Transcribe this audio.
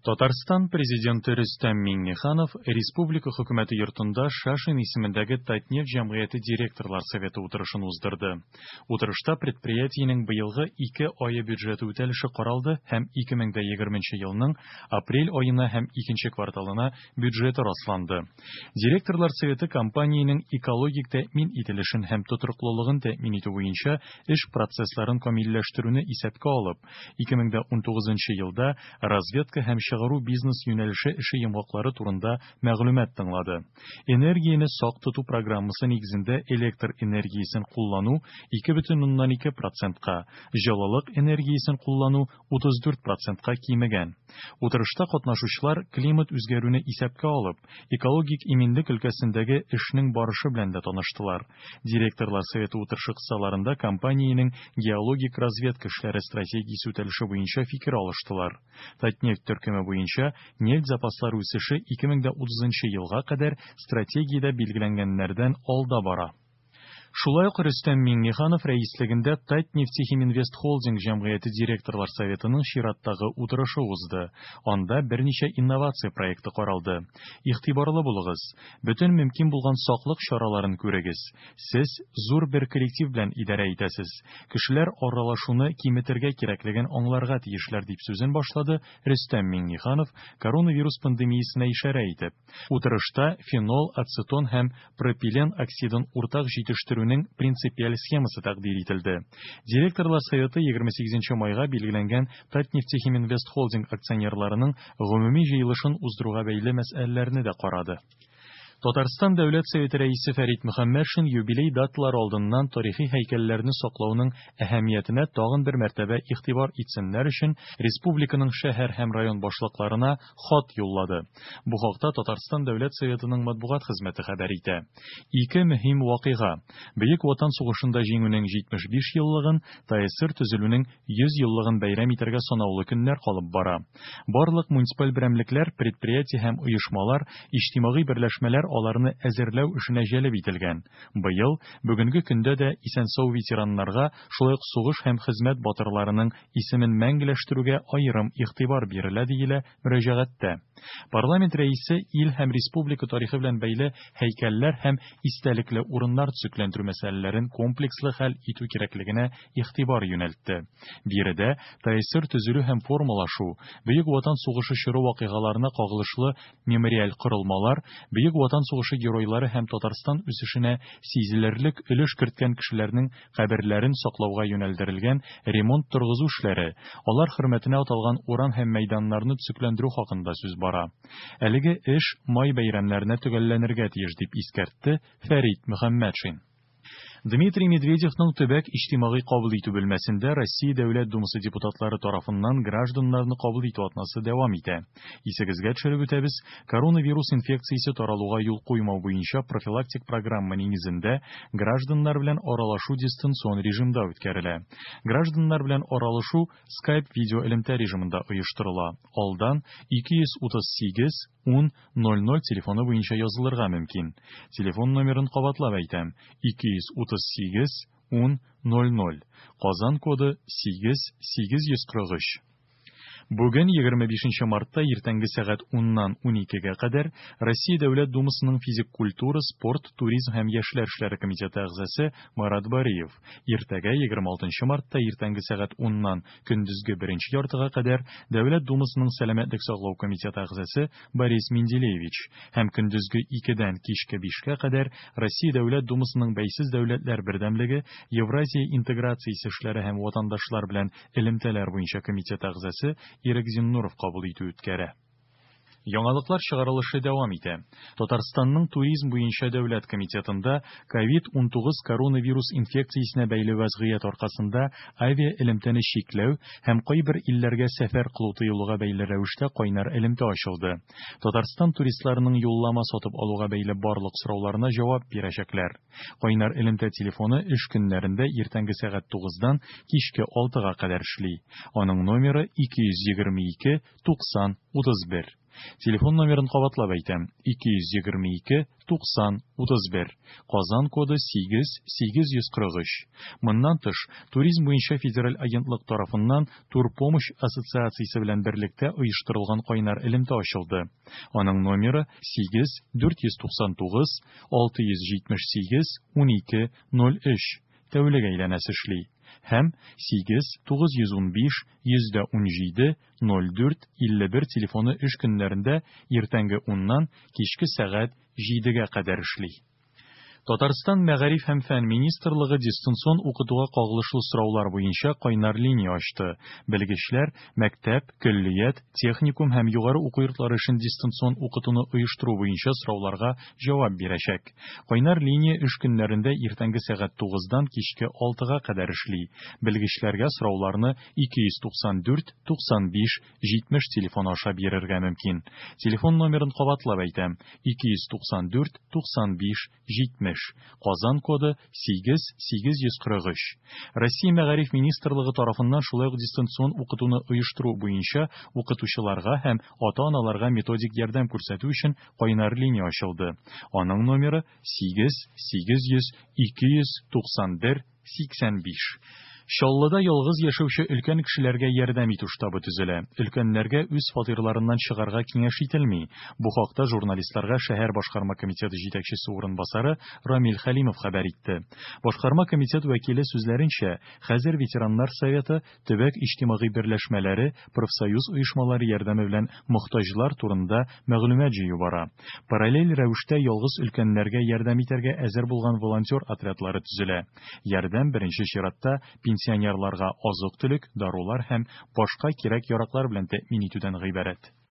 Татарстан Президенты Рөстәм Миңнеханов республика Хөкүмәте йортында Шашин исемендәге Татнефть җәмгыяте директорлар советы утырышын уздырды. Утырышта предприятиенең быелгы ике ае бюджеты үтәлеше каралды һәм 2020 елның апрель аена һәм икенче кварталына бюджеты расланды. Директорлар советы компаниянең экологик тәэмин ителешен һәм тотрыклылыгын тәэмин итү буенча эш процессларын камилләштерүне исәпкә алып, 2019 елда разведка һәм чыгару бизнес юнәлеше эше йомгаклары турында мәгълүмат тыңлады. Энергияне сак тоту программасы нигезендә электр энергиясен куллану 2,2 процентка, җылылык энергиясен куллану 34 процентка кимегән. Утырышта катнашучылар климат үзгәрүне исәпкә алып, экологик иминлек өлкәсендәге эшнең барышы белән дә таныштылар. Директорлар советы утырышы кысаларында компаниянең геологик разведка эшләре стратегиясе үтәлеше буенча фикер алыштылар. Татнефть төркеме буенча нефть запаслары үсеше 2030 елга кадәр стратегиядә билгеләнгәннәрдән алда бара. Шулай ук Рөстәм Миңнеханов рәислегендә Татнефтехиминвестхолдинг җәмгыяте директорлар советының чираттагы утырышы узды. Анда берничә инновация проекты каралды. Игътибарлы булыгыз! Бөтен мөмкин булган саклык чараларын күрегез. Сез зур бер коллектив белән идарә итәсез. Кешеләр аралашуны киметергә кирәклеген аңларга тиешләр, дип сүзен башлады Рөстәм Миңнеханов, коронавирус пандемиясенә ишарә итеп. Утырышта фенол, ацетон һәм пропилен оксидын уртак җитештерүнең принципиаль схемасы тәкъдир ителде. Директорлар советы 28 майга билгеләнгән Татнефтехиминвестхолдинг акционерларының гомуми җыелышын уздыруга бәйле мәсьәләләрне дә карады. Татарстан Дәүләт Советы Рәисе Фәрит Мөхәммәтшин юбилей даталары алдыннан тарихи һәйкәлләрне саклауның әһәмиятенә тагын бер мәртәбә игътибар итсеннәр өчен республиканың шәһәр һәм район башлыкларына хат юллады. Бу хакта Татарстан Дәүләт Советының матбугат хезмәте хәбәр итә. Ике мөһим вакыйга, Бөек Ватан сугышында Җиңүнең 75 еллыгын, ТАССР төзелүнең 100 еллыгын бәйрәм итәргә санаулы көннәр калып бара. Барлык муниципаль берәмлекләр, предприятие һәм оешмалар, иҗтимагый берләшмәләр аларны әзерләү эшенә җәлеп ителгән. Быел, бүгенге көндә дә исән-сау ветераннарга, шулай ук сугыш һәм хезмәт батырларының исемен мәңгеләштерүгә аерым игътибар бирелә, диелә мөрәҗәгатьтә. Парламент рәисе ил һәм республика тарихы белән бәйле һәйкәлләр һәм истәлекле урыннар төзекләндерү мәсьәләләрен комплекслы хәл итү кирәклегенә игътибар юнәлтте. Биредә ТАССР төзелү һәм формалашу, Бөек Ватан сугышы чоры вакыйгаларына кагылышлы мемориаль корылмалар, Бөек Ватан сугышы геройлары һәм Татарстан үсешенә сизелерлек өлеш керткән кешеләрнең каберләрен саклауга юнәлдерелгән ремонт-торгызу эшләре, алар хөрмәтенә аталган урам һәм мәйданнарны төзекләндерү хакында сүз бара. Әлеге эш май бәйрәмнәренә төгәлләнергә тиеш, дип искәртте Фәрит Мөхәммәтшин. Дмитрий Медведевның төбәк иҗтимагый кабул итү бүлмәсендә Россия Дәүләт Думасы депутатлары тарафыннан гражданнарны кабул итү атнасы дәвам итә. Исегезгә төшереп үтәбез, коронавирус инфекциясе таралуга юл куймау буенча профилактик программа нигезендә гражданнар белән аралашу дистанцион режимда үткәрелә. Гражданнар белән аралашу Skype видеоэлемтә режимында оештырыла. Алдан 238 10 00 телефоны буенча язылырга мөмкин. Телефон номерын кабатлап әйтәм, 238 10 00, Казан коды 8 843. Бүген, 25 мартта иртәнге сәгать уннан уникегә кадәр Россия Дәүләт Думасының физик культура, спорт, туризм һәм яшьләр эшләре комитеты әгъзасы Марат Бариев, иртәгә, 26 мартта иртәнге сәгать уннан көндезге беренче яртыга кадәр Дәүләт Думасының сәламәтлек саклау комитеты әгъзасы Борис Менделеевич һәм көндезге икедән кичке бишкә кадәр Россия Дәүләт Думасының Бәйсез дәүләтләр бердәмлеге, Евразия интеграциясе эшләре һәм ватандашлар белән элемтәләр буенча комитет әгъзасы Ирек Зиннуров кабул итү үткәрә. Яңалыклар чыгарылышы дәвам итә. Татарстанның Туризм буенча дәүләт комитетында ковид-19 коронавирус инфекциясенә бәйле вәзгыять аркасында авиаэлемтәне чикләү һәм кайбер илләргә сәфәр кылу тыелуга бәйле рәвештә кайнар элемтә ачылды. Татарстан туристларының юллама сатып алуга бәйле барлык сорауларына җавап бирәчәкләр. Кайнар элемтә телефоны эш көннәрендә иртәнге сәгать тугыздан кичке алтыга кадәр эшли. Аның номеры 222 90 31. Телефон номерын кабатлап әйтәм, 222 90 31, Казан коды 8 843. Моннан тыш, Туризм буенча федераль агентлык тарафыннан Турпомощь ассоциациясе белән берлектә оештырылган кайнар элемтә ачылды. Аның номеры 8 499 678 12 03, тәүлек әйләнәсе эшли һәм 8 915 117 04 51 телефоны эш көннәрендә иртәнге уннан кичке сәгать җидегә кадәр эшли. Татарстан Мәгариф һәм фән министрлыгы дистанцион укытуга кагылышлы сораулар буенча кайнар линия ачты. Белгечләр мәктәп, көллият, техникум һәм югары уку йортлары өчен дистанцион укытуны оештыру буенча сорауларга җавап бирәчәк. Кайнар линия эш көннәрендә иртәнге сәгать тугыздан кичке алтыга кадәр эшли. Белгечләргә сорауларны 294 95 70 телефоны аша бирергә мөмкин. Телефон номерын кабатлап әйтәм, 294 95 70, Казан коды 8 843. Россия Мәгариф министрлыгы тарафыннан шулай ук дистанцион укытуны оештыру буенча укытучыларга һәм ата-аналарга методик ярдәм күрсәтү өчен кайнар линия ачылды. Аның номеры 8 800 291 85. Чаллыда ялгыз яшәүче өлкән кешеләргә ярдәм итү штабы төзелә. Өлкәннәргә үз фатирларыннан чыгарга киңәш ителми. Бу хакта журналистларга шәһәр башкарма комитеты җитәкчесе урынбасары Рамил Хәлимов хәбәр итте. Башкарма комитет вәкиле сүзләренчә, хәзер ветераннар советы, төбәк иҗтимагый берләшмәләре, профсоюз оешмалары ярдәме белән мохтаҗлар турында мәгълүмат җыю бара. Параллель рәвештә ялгыз өлкәннәргә ярдәм итәргә әзер булган волонтер отрядлары төзелә. Ярдәм беренче чиратта пенсионерларга азык-төлек, дарулар һәм башка кирәк-яраклар белән тәэмин итүдән гыйбарәт.